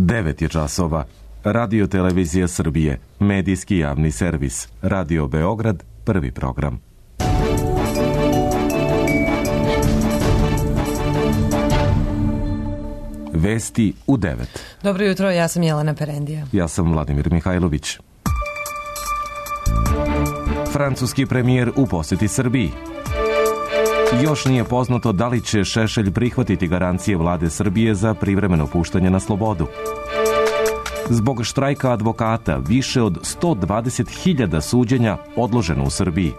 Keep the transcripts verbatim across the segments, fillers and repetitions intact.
devet je časova. Radio Televizija Srbije, medijski javni servis. Radio Beograd, prvi program. Vesti u devet. Dobro jutro, ja sam Jelena Perendija. Ja sam Vladimir Mihajlović. Francuski premijer u poseti Srbiji. Još nije poznato da li će Šešelj prihvatiti garancije vlade Srbije za privremeno puštanje na slobodu. Zbog štrajka advokata više od sto dvadeset hiljada suđenja odloženo u Srbiji.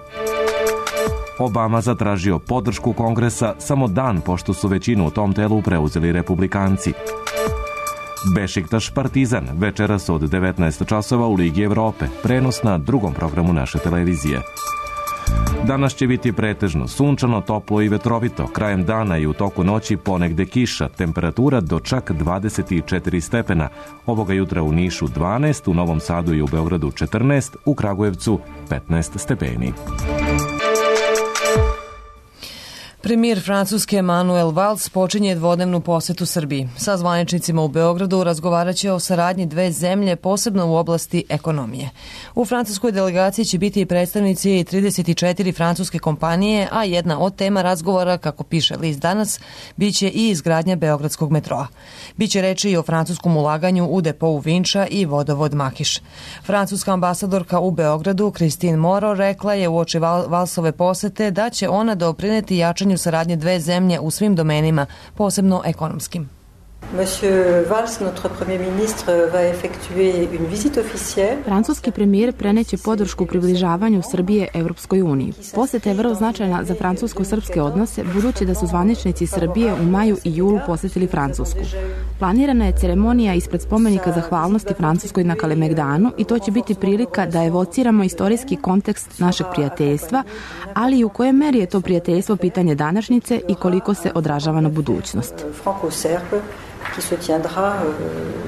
Obama zatražio podršku Kongresa samo dan pošto su većinu u tom telu preuzeli republikanci. Bešiktaš Partizan večeras od devetnaest časova u Ligi Evrope, prenos na drugom programu naše televizije. Danas će biti pretežno sunčano, toplo i vetrovito. Krajem dana i u toku noći ponegde kiša, temperatura do čak dvadeset četiri stepena. Ovoga jutra u Nišu dvanaest, u Novom Sadu i u Beogradu četrnaest, u Kragujevcu petnaest stepeni. Premijer Francuske Manuel Valls počinje dvodnevnu posetu Srbiji. Sa zvaničnicima u Beogradu razgovarat će o saradnji dve zemlje, posebno u oblasti ekonomije. U francuskoj delegaciji će biti i predstavnici trideset četiri francuske kompanije, a jedna od tema razgovora, kako piše list Danas, biće i izgradnja beogradskog metroa. Biće reči i o francuskom ulaganju u depou Vinča i vodovod Makiš. Francuska ambasadorka u Beogradu, Christine Moreau, rekla je uoči Valsove posete da će ona doprineti jačanju saradnje dve zemlje u svim domenima, posebno ekonomskim. Monsieur Valls, notre premier ministre, va effectuer une visite officielle. Francuski premijer preneće podršku približavanju Srbije Evropskoj uniji. Poseta je vrlo značajna za francusko-srpske odnose, budući da su zvaničnici Srbije u maju i julu posetili Francusku. Planirana je ceremonija ispred spomenika zahvalnosti Francuskoj na Kalemegdanu i to će biti prilika da evociramo istorijski kontekst našeg prijateljstva, ali i u kojoj meri je to prijateljstvo pitanje današnjice i koliko se odražava na budućnost. Qui se tiendra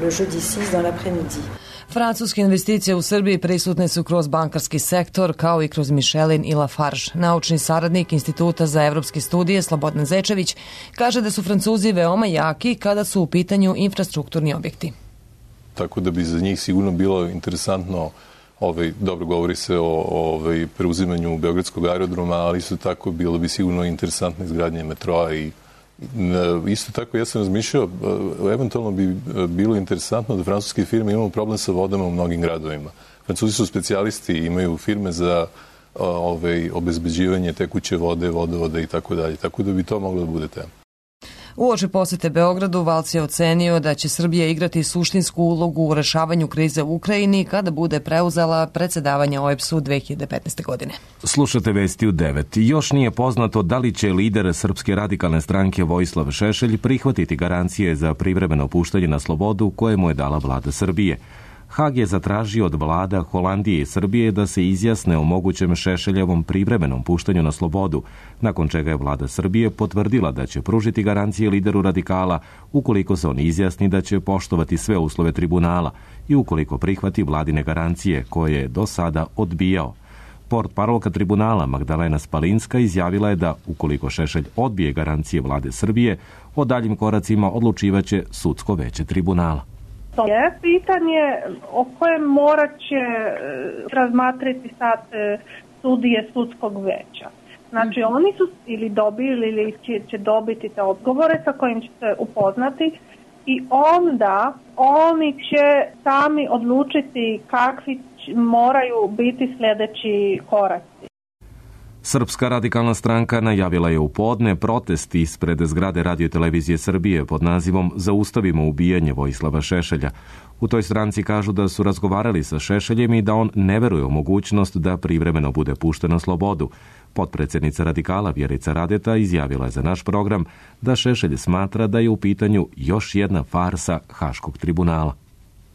le jeudi six dans l'après-midi. Francuske investicije u Srbiji prisutne su kroz bankarski sektor, kao i kroz Michelin i Lafarge. Naučni saradnik Instituta za evropske studije Slobodan Zečević kaže da su Francuzi veoma jaki kada su u pitanju infrastrukturni objekti. Tako da bi za njih sigurno bilo interesantno, ovaj, dobro govori se o ovaj, preuzimanju Beogradskog aerodroma, ali isto tako bilo bi sigurno interesantno izgradnje metroa i isto tako, ja sam razmišljao, eventualno bi bilo interesantno da francuske firme imaju problem sa vodama u mnogim gradovima. Francuzi su specijalisti, imaju firme za ove, obezbeđivanje tekuće vode, vodovoda i tako dalje. Tako da bi to moglo da bude tema. Uoči posete Beogradu, Valls je ocenio da će Srbija igrati suštinsku ulogu u rešavanju krize u Ukrajini kada bude preuzela predsedavanje O E B S-u dve hiljade petnaeste. godine. Slušate vesti u devet. Još nije poznato da li će lider Srpske radikalne stranke Vojislav Šešelj prihvatiti garancije za privremeno puštanje na slobodu koje mu je dala vlada Srbije. Hag je zatražio od vlada Holandije i Srbije da se izjasne o mogućem Šešeljevom privremenom puštanju na slobodu, nakon čega je vlada Srbije potvrdila da će pružiti garancije lideru radikala ukoliko se on izjasni da će poštovati sve uslove tribunala i ukoliko prihvati vladine garancije koje je do sada odbijao. Portparolka tribunala Magdalena Spalinska izjavila je da ukoliko Šešelj odbije garancije vlade Srbije, o daljim koracima odlučivaće sudsko veće tribunala. To je pitanje o kojem morat će razmatrati sad sudije sudskog veća. Znači oni su ili dobili ili će, će dobiti te odgovore sa kojim će se upoznati i onda oni će sami odlučiti kakvi moraju biti sljedeći koraci. Srpska radikalna stranka najavila je u podne protest ispred zgrade Radio Televizije Srbije pod nazivom Zaustavimo ubijanje Vojislava Šešelja. U toj stranci kažu da su razgovarali sa Šešeljem i da on ne veruje u mogućnost da privremeno bude pušten na slobodu. Potpredsjednica radikala Vjerica Radeta izjavila je za naš program da Šešelj smatra da je u pitanju još jedna farsa Haškog tribunala.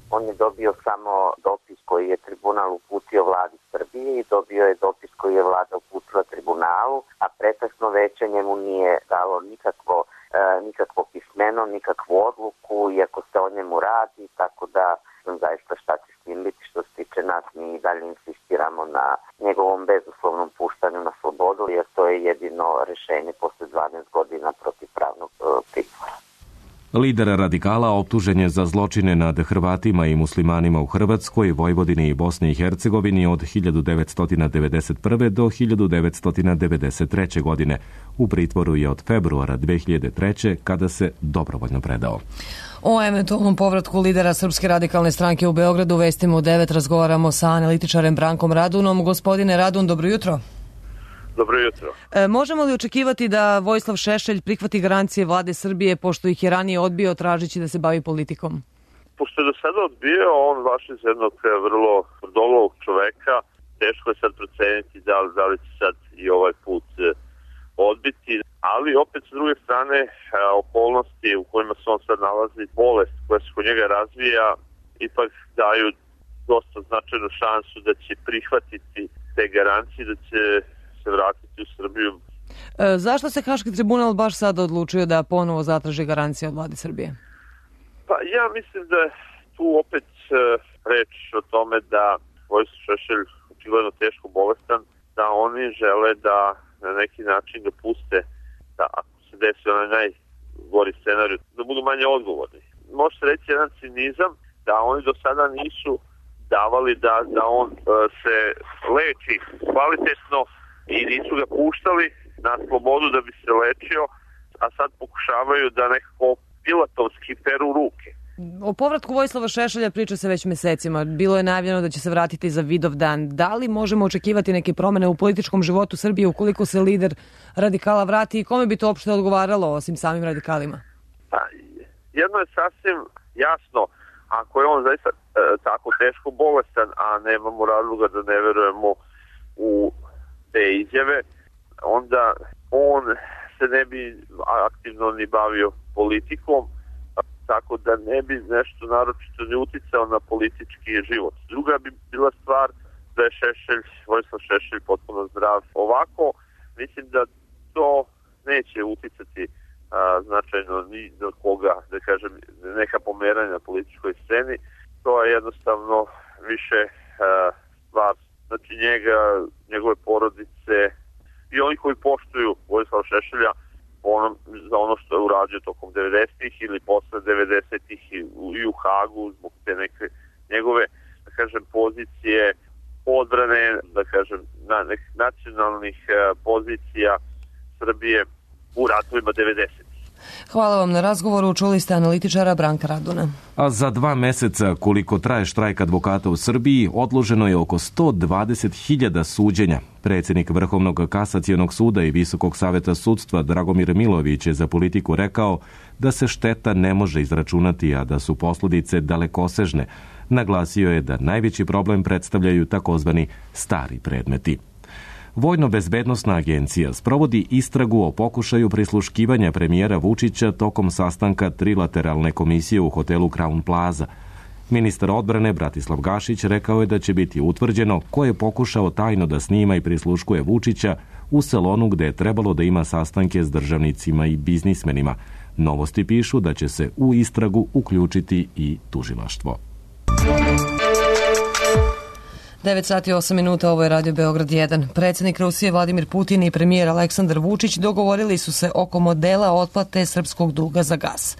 On je dobio samo dopis koji je tribunal uputio vladi Srbije i dobio je dopis koji je vlada uputila tribunalu, a pretežno veće njemu nije dalo nikakvo, e, nikakvo pismeno, nikakvu odluku, iako se o njemu radi, tako da sam zaista šta će s tim biti. Što se tiče nas, mi i dalje insistiramo na njegovom bezuslovnom puštanju na slobodu, jer to je jedino rešenje posle dvanaest godina protivpravnog e, pritvora. Lider radikala optužen je za zločine nad Hrvatima i muslimanima u Hrvatskoj, Vojvodini i Bosni i Hercegovini od hiljadu devetsto devedeset prve. do hiljadu devetsto devedeset treće. godine. U pritvoru je od februara dve hiljade treće. kada se dobrovoljno predao. O eventualnom povratku lidera Srpske radikalne stranke u Beogradu vestimo u devet. Razgovaramo sa analitičarem Brankom Radunom. Gospodine Radun, dobro jutro. Dobro jutro. E, možemo li očekivati da Vojislav Šešelj prihvati garancije vlade Srbije, pošto ih je ranije odbio tražeći da se bavi politikom? Pošto je do sada odbio, on vaš iz jednog vrlo dolovog čoveka, teško je sad proceniti da li, da li će sad i ovaj put odbiti, ali opet s druge strane okolnosti u kojima se on sad nalazi, bolest koja se kod njega razvija, ipak daju dosta značajnu šansu da će prihvatiti te garancije, da će se vratiti u Srbiju. E, zašto se Haški tribunal baš sada odlučio da ponovo zatraži garancije od vlade Srbije? Pa ja mislim da je tu opet e, reč o tome da Vojislav Šešelj očigledno teško bolestan, da oni žele da na neki način ga puste, da ako se desi onaj najgori scenarij, da budu manje odgovorni. Može se reći jedan cinizam da oni do sada nisu davali da, da on e, se leči kvalitetno i nisu ga puštali na slobodu da bi se lečio, a sad pokušavaju da nekako pilatovski peru ruke. O povratku Vojislava Šešelja priča se već mesecima. Bilo je najavljeno da će se vratiti za Vidovdan. Da li možemo očekivati neke promene u političkom životu Srbije ukoliko se lider radikala vrati i kome bi to uopšte odgovaralo osim samim radikalima? Pa, jedno je sasvim jasno, ako je on zaista e, tako teško bolestan, a nemamo razloga da ne verujemo u te izjave, onda on se ne bi aktivno ni bavio politikom, tako da ne bi nešto naročito ni uticao na politički život. Druga bi bila stvar da je Šešelj, Vojislav Šešelj potpuno zdrav. Ovako, mislim da to neće uticati a, značajno ni do koga, da kažem, neka pomeranja na političkoj sceni. To je jednostavno više a, stvar, znači njega, njegove porodice i oni koji poštuju Vojislava Šešelja ono, za ono što je uradio tokom devedesetih ili posle devedesetih i u, i u Hagu zbog te neke njegove, da kažem, pozicije odbrane, da kažem, na, nek, nacionalnih uh, pozicija Srbije u ratovima devedesetih. Hvala vam na razgovoru. Čuli ste analitičara Branka Raduna. A za dva meseca, koliko traje štrajk advokata u Srbiji, odloženo je oko sto dvadeset hiljada suđenja. Predsjednik Vrhovnog kasacionog suda i Visokog saveta sudstva Dragomir Milović je za Politiku rekao da se šteta ne može izračunati, a da su posljedice dalekosežne. Naglasio je da najveći problem predstavljaju takozvani stari predmeti. Vojno-bezbednosna agencija sprovodi istragu o pokušaju prisluškivanja premijera Vučića tokom sastanka trilateralne komisije u hotelu Crown Plaza. Ministar odbrane Bratislav Gašić rekao je da će biti utvrđeno ko je pokušao tajno da snima i prisluškuje Vučića u salonu gde je trebalo da ima sastanke s državnicima i biznismenima. Novosti pišu da će se u istragu uključiti i tužilaštvo. devet sati i osam minuta, ovo je Radio Beograd jedan. Predsjednik Rusije Vladimir Putin i premijer Aleksandar Vučić dogovorili su se oko modela otplate srpskog duga za gas.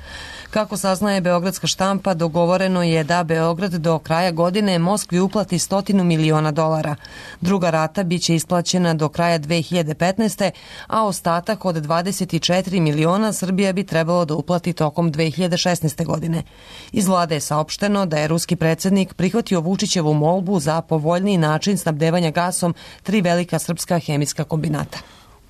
Kako saznaje beogradska štampa, dogovoreno je da Beograd do kraja godine Moskvi uplati stotinu miliona dolara. Druga rata biće isplaćena do kraja dve hiljade petnaeste. a ostatak od dvadeset četiri miliona Srbija bi trebalo da uplati tokom dve hiljade šesnaeste. godine. Iz vlade je saopšteno da je ruski predsjednik prihvatio Vučićevu molbu za povoljniji način snabdevanja gasom tri velika srpska hemijska kombinata.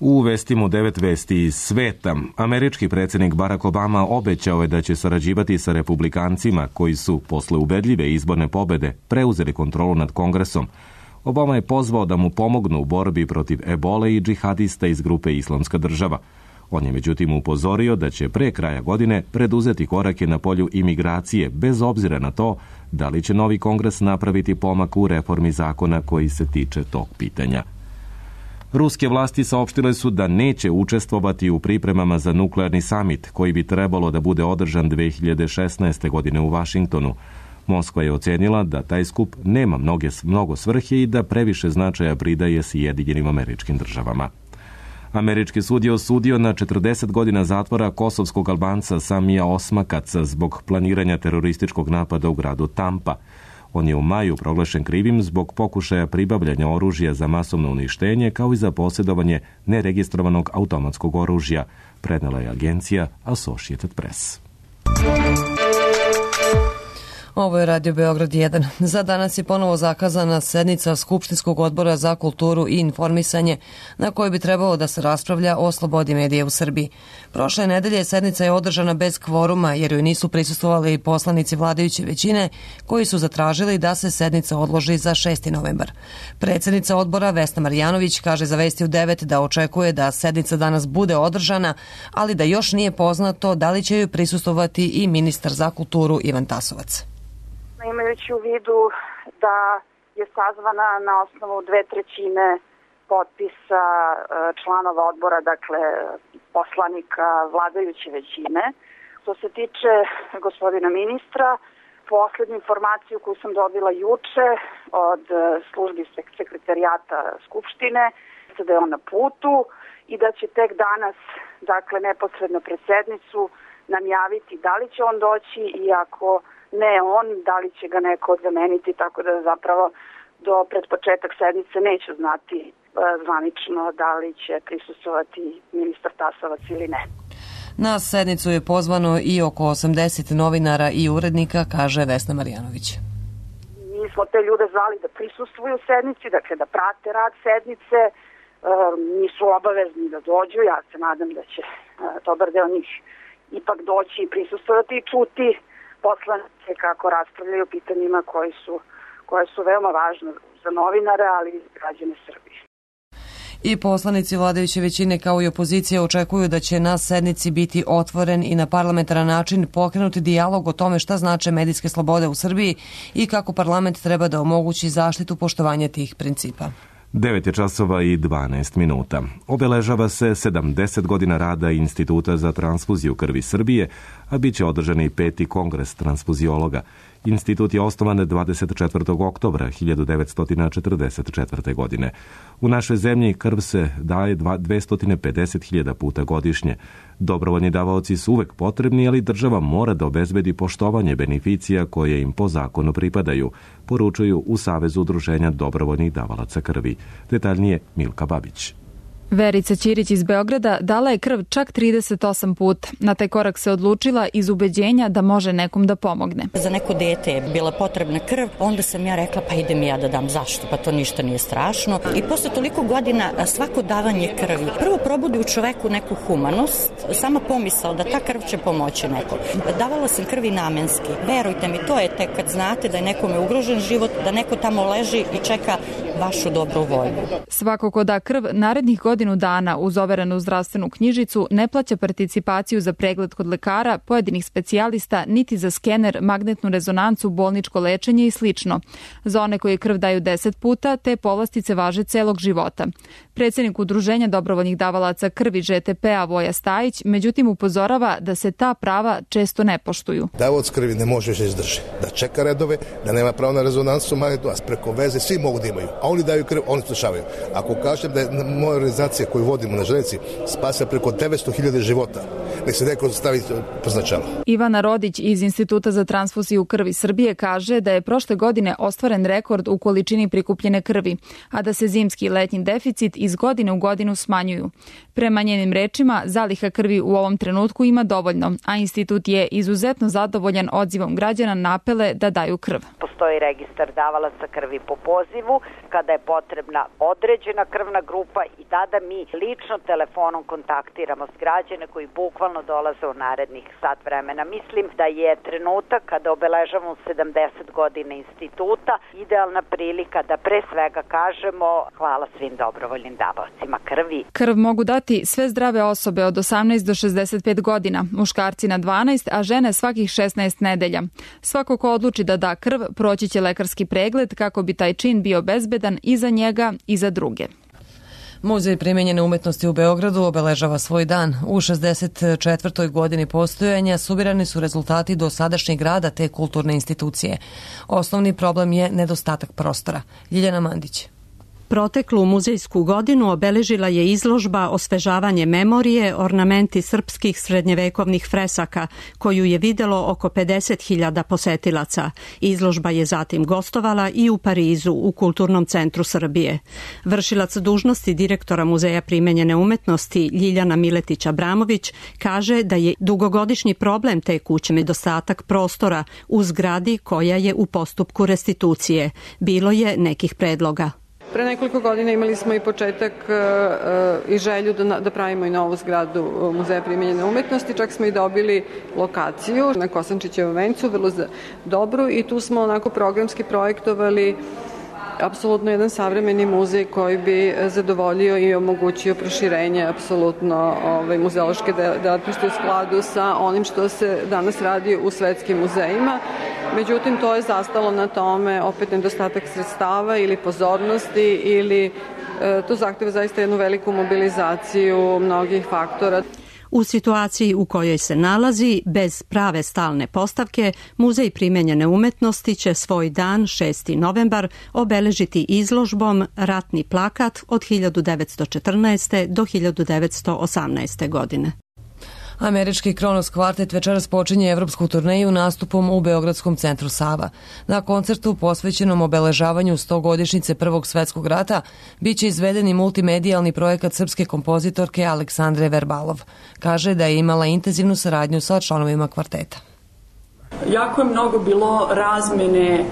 U vestima devet vesti iz sveta, američki predsjednik Barack Obama obećao je da će sarađivati sa republikancima koji su, posle ubedljive izborne pobede, preuzeli kontrolu nad Kongresom. Obama je pozvao da mu pomognu u borbi protiv ebole i džihadista iz grupe Islamska država. On je međutim upozorio da će pre kraja godine preduzeti korake na polju imigracije, bez obzira na to da li će novi Kongres napraviti pomak u reformi zakona koji se tiče tog pitanja. Ruske vlasti saopštile su da neće učestvovati u pripremama za nuklearni samit koji bi trebalo da bude održan dve hiljade šesnaeste. godine u Vašingtonu. Moskva je ocenila da taj skup nema mnoge, mnogo svrhe i da previše značaja pridaje Sjedinjenim Američkim Državama. Američki sud je osudio na četrdeset godina zatvora kosovskog Albanca Samija Osmakaca zbog planiranja terorističkog napada u gradu Tampa. On je u maju proglašen krivim zbog pokušaja pribavljanja oružja za masovno uništenje kao i za posjedovanje neregistrovanog automatskog oružja, prenela je agencija Associated Press. Ovo je Radio Beograd jedan. Za danas je ponovo zakazana sednica Skupštinskog odbora za kulturu i informisanje na kojoj bi trebalo da se raspravlja o slobodi medija u Srbiji. Prošle nedelje sednica je održana bez kvoruma jer joj nisu prisustvovali poslanici vladajuće većine koji su zatražili da se sednica odloži za šesti novembar. Predsjednica odbora Vesna Marjanović kaže za Vesti u devet da očekuje da sednica danas bude održana, ali da još nije poznato da li će joj prisustvovati i ministar za kulturu Ivan Tasovac. Imajući u vidu da je sazvana na osnovu dve trećine potpisa članova odbora, dakle poslanika vladajuće većine. Što se tiče gospodina ministra, poslednju informaciju koju sam dobila juče od službi sekretarijata Skupštine, da je on na putu i da će tek danas, dakle neposredno pred sednicu, nam javiti da li će on doći i ako ne on, da li će ga neko zameniti, tako da zapravo do pred početak sednice neću znati e, zvanično da li će prisustvovati ministar Tasovac ili ne. Na sednicu je pozvano i oko osamdeset novinara i urednika, kaže Vesna Marjanović. Mi smo te ljude zvali da prisustvuju sednici, dakle da prate rad sednice, e, nisu obavezni da dođu, ja se nadam da će e, dobar deo njih ipak doći i prisustvovati i čuti poslanice kako raspravljaju o pitanjima koji su, koje su veoma važne za novinare, ali i za građane Srbije. I poslanici vladajuće većine kao i opozicija očekuju da će na sednici biti otvoren i na parlamentaran način pokrenuti dijalog o tome šta znače medijske slobode u Srbiji i kako parlament treba da omogući zaštitu poštovanja tih principa. devet je časova i dvanaest minuta. Obeležava se sedamdeset godina rada Instituta za transfuziju krvi Srbije, a bit će održan i peti kongres transfuziologa. Institut je osnovan dvadeset četvrtog oktobra hiljadu devetsto četrdeset četvrte. godine. U našoj zemlji krv se daje dvesta pedeset hiljada puta godišnje. Dobrovoljni davaoci su uvek potrebni, ali država mora da obezbedi poštovanje beneficija koje im po zakonu pripadaju, poručuju u Savezu udruženja dobrovoljnih davalaca krvi. Detaljnije Milka Babić. Verica Ćirić iz Beograda dala je krv čak trideset osam puta. Na taj korak se odlučila iz ubeđenja da može nekom da pomogne. Za neko dete je bila potrebna krv, onda sam ja rekla pa idem ja da dam. Zašto? Pa to ništa nije strašno. I posle toliko godina svako davanje krvi prvo probudi u čoveku neku humanost, sama pomisao da ta krv će pomoći nekom. Davala sam krvi namenski. Verujte mi, to je tek kad znate da je nekome ugrožen život, da neko tamo leži i čeka vašu dobru volju. Svako ko da krv narednih godina godinu dana uz overenu zdravstvenu knjižicu ne plaća participaciju za pregled kod lekara, pojedinih specijalista, niti za skener, magnetnu rezonancu, bolničko lečenje i slično. Za one koji krv daju deset puta, te povlastice važe celog života. Predsjednik Udruženja dobrovoljnih davalaca krvi Ž T P-a Voja Stajić, međutim upozorava da se ta prava često ne poštuju. Davalac krvi ne može da izdrži, da čeka redove, da nema pravo na rezonansu magnetnu, a preko veze svi mogu da imaju. A oni daju krv, oni slušavaju. Ako kažem da je moja organizacija koju vodimo na železnici spasa preko devetsto hiljada života, nek se neko stavi poznačalo. Ivana Rodić iz Instituta za transfuziju krvi Srbije kaže da je prošle godine ostvaren rekord u količini prikupljene krvi, a da se zimski i letnji deficit iz godine u godinu smanjuju. Prema njenim rečima, zaliha krvi u ovom trenutku ima dovoljno, a institut je izuzetno zadovoljan odzivom građana na apele da daju krv. Postoji registar davalaca krvi po pozivu, kada je potrebna određena krvna grupa i tada mi lično telefonom kontaktiramo s građane koji bukvalno dolaze u narednih sat vremena. Mislim da je trenutak kada obeležavamo sedamdeset godina instituta idealna prilika da pre svega kažemo hvala svim dobrovoljnim davaocima krvi. Krv mogu dati sve zdrave osobe od osamnaest do šezdeset pet godina, muškarci na dvanaest, a žene svakih šesnaest nedelja. Svako ko odluči da da krv, proći će lekarski pregled kako bi taj čin bio bezbedan i za njega i za druge. Muzej primenjene umetnosti u Beogradu obeležava svoj dan. U šezdeset četvrtoj godini postojanja subirani su rezultati dosadašnjeg rada te kulturne institucije. Osnovni problem je nedostatak prostora. Ljiljana Mandić. Proteklu muzejsku godinu obeležila je izložba Osvežavanje memorije, ornamenti srpskih srednjevekovnih fresaka, koju je videlo oko pedeset hiljada posetilaca. Izložba je zatim gostovala i u Parizu, u Kulturnom centru Srbije. Vršilac dužnosti direktora Muzeja primenjene umetnosti Ljiljana Miletić-Abramović kaže da je dugogodišnji problem te kuće nedostatak prostora u zgradi koja je u postupku restitucije. Bilo je nekih predloga. Pre nekoliko godina imali smo i početak uh, i želju da, da pravimo i novu zgradu Muzeja primenjene umetnosti, čak smo i dobili lokaciju na Kosančićevom vencu, vrlo dobru, i tu smo onako programski projektovali apsolutno jedan savremeni muzej koji bi zadovoljio i omogućio proširenje apsolutno ovaj, muzeološke delatnosti u skladu sa onim što se danas radi u svetskim muzejima. Međutim, to je zastalo na tome opet nedostatak sredstava ili pozornosti ili e, to zahteva zaista jednu veliku mobilizaciju mnogih faktora. U situaciji u kojoj se nalazi, bez prave stalne postavke, Muzej primenjene umetnosti će svoj dan šesti novembar obeležiti izložbom Ratni plakat od hiljadu devetsto četrnaeste. do hiljadu devetsto osamnaeste. godine. Američki Kronos kvartet večeras počinje evropsku turneju nastupom u Beogradskom centru Sava. Na koncertu posvećenom obeležavanju stogodišnjice Prvog svetskog rata biće izveden i multimedijalni projekat srpske kompozitorke Aleksandre Verbalov. Kaže da je imala intenzivnu saradnju sa članovima kvarteta. Jako je mnogo bilo razmene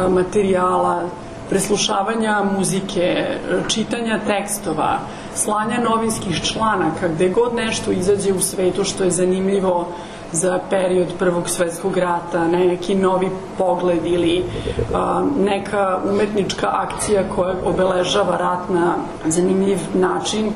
materijala, preslušavanja muzike, čitanja tekstova, slanja novinskih članaka, gde god nešto izađe u svetu što je zanimljivo za period Prvog svetskog rata, neki novi pogled ili a, neka umetnička akcija koja obeležava rat na zanimljiv način.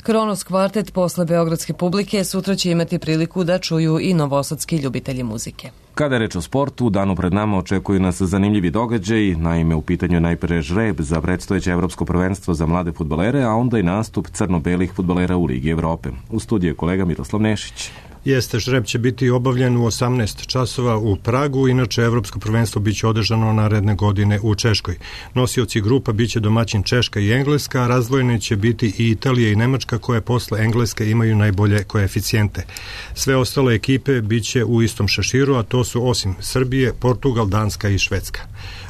Kronos kvartet posle beogradske publike sutra će imati priliku da čuju i novosadski ljubitelji muzike. Kada je reč o sportu, u danu pred nama očekuju nas zanimljivi događaj. Naime, u pitanju je najpre žreb za predstojeće evropsko prvenstvo za mlade fudbalere, a onda i nastup crno-belih fudbalera u Ligi Evrope. U studiju je kolega Miroslav Nešić. Jeste, žreb će biti obavljen u osamnaest časova u Pragu, inače evropsko prvenstvo biće održano naredne godine u Češkoj. Nosioci grupa biće domaćin Češka i Engleska, a razdvojene će biti i Italija i Nemačka, koje posle Engleske imaju najbolje koeficijente. Sve ostale ekipe biće u istom šeširu, a to su osim Srbije, Portugal, Danska i Švedska.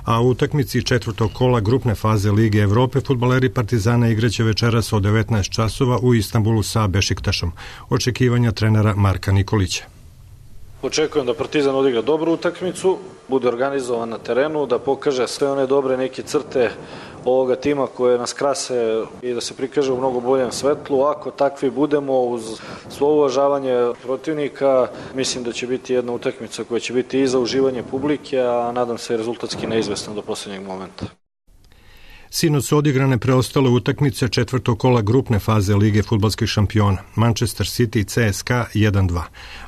A u utakmici četvrtog kola grupne faze Lige Evrope fudbaleri Partizana igraće večeras od devetnaest časova u Istanbulu sa Bešiktašom. Očekivanja trenera Marka Nikolića. Očekujem da Partizan odigra dobru utakmicu, bude organizovan na terenu, da pokaže sve one dobre neke crte ovoga tima koje nas krase i da se prikaže u mnogo boljem svetlu. Ako takvi budemo, uz svo uvažavanje protivnika, mislim da će biti jedna utakmica koja će biti i za uživanje publike, a nadam se rezultatski neizvesna do poslednjeg momenta. Sinoć su odigrane preostale utakmice četvrtog kola grupne faze Lige fudbalskih šampiona. Manchester City C S K jedan dva,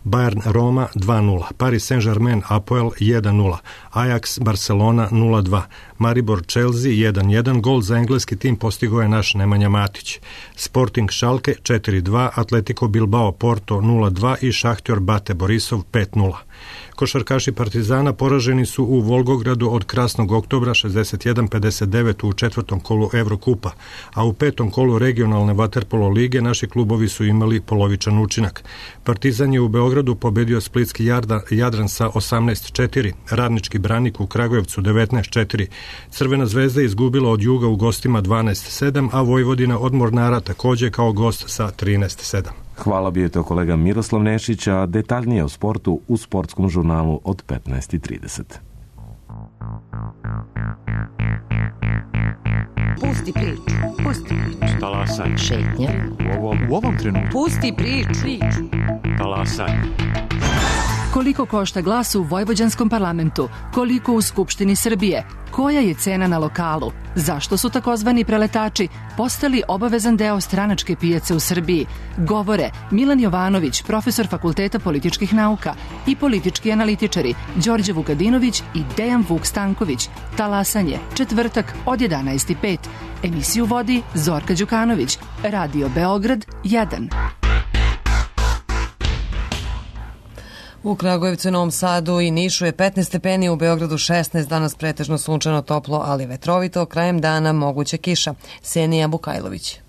Bayern Roma dva nula, Paris Saint-Germain Apoel jedan nula, Ajax Barcelona nula dva, Maribor Chelsea jedan jedan, gol za engleski tim postigao je naš Nemanja Matić. Sporting Schalke četiri dva, Atletico Bilbao Porto nula dva i Šahtjor Bate Borisov pet nula. Košarkaši Partizana poraženi su u Volgogradu od Krasnog oktobra šezdeset jedan pedeset devet u četvrtom kolu Evrokupa, a u petom kolu regionalne vaterpolo lige naši klubovi su imali polovičan učinak. Partizan je u Beogradu pobedio Splitski Jadran sa osamnaest četiri, Radnički Branik u Kragujevcu devetnaest četiri, Crvena zvezda izgubila od Juga u gostima dvanaest sedam, a Vojvodina od Mornara takođe kao gost sa trinaest sedam. Hvala, bio je to kolega Miroslav Nešić, a detaljnije o sportu u sportskom žurnalu od petnaest i trideset. Pusti priču, pusti priču. Talasaj. Šetnja. U ovom, u ovom trenutku. Pusti priču. priču. Talasaj. Koliko košta glas u vojvođanskom parlamentu? Koliko u Skupštini Srbije? Koja je cena na lokalu? Zašto su takozvani preletači postali obavezan deo stranačke pijace u Srbiji? Govore Milan Jovanović, profesor Fakulteta političkih nauka, i politički analitičari Đorđe Vukadinović i Dejan Vuk Stanković. Talasanje, četvrtak od jedanaest i pet. Emisiju vodi Zorka Đukanović. Radio Beograd jedan. U Kragujevcu i Novom Sadu i Nišu je petnaest stepeni, u Beogradu šesnaest, danas pretežno sunčano, toplo, ali vetrovito, krajem dana moguća kiša. Senija Bukajlović.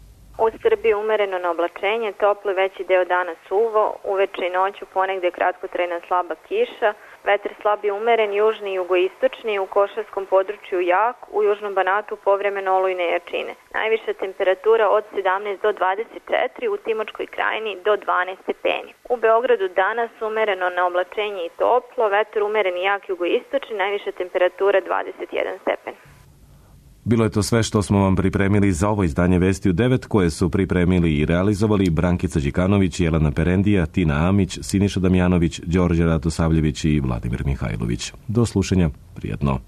U Srbiji umereno na oblačenje, toplo veći deo dana suvo, uveče i noću ponegde kratkotrajna slaba kiša, vetar slab i umeren, južni i jugoistočni, u Košarskom području jak, u Južnom Banatu povremeno olujne jačine. Najviša temperatura od sedamnaest do dvadeset četiri, u Timočkoj krajini do dvanaest stepeni. U Beogradu danas umereno na oblačenje i toplo, vetar umeren i jak jugoistočni, najviša temperatura dvadeset jedan stepen. Bilo je to sve što smo vam pripremili za ovo izdanje Vesti u devet, koje su pripremili i realizovali Brankica Đikanović, Jelena Perendija, Tina Amić, Siniša Damjanović, Đorđe Ratosavljević i Vladimir Mihajlović. Do slušanja, prijatno.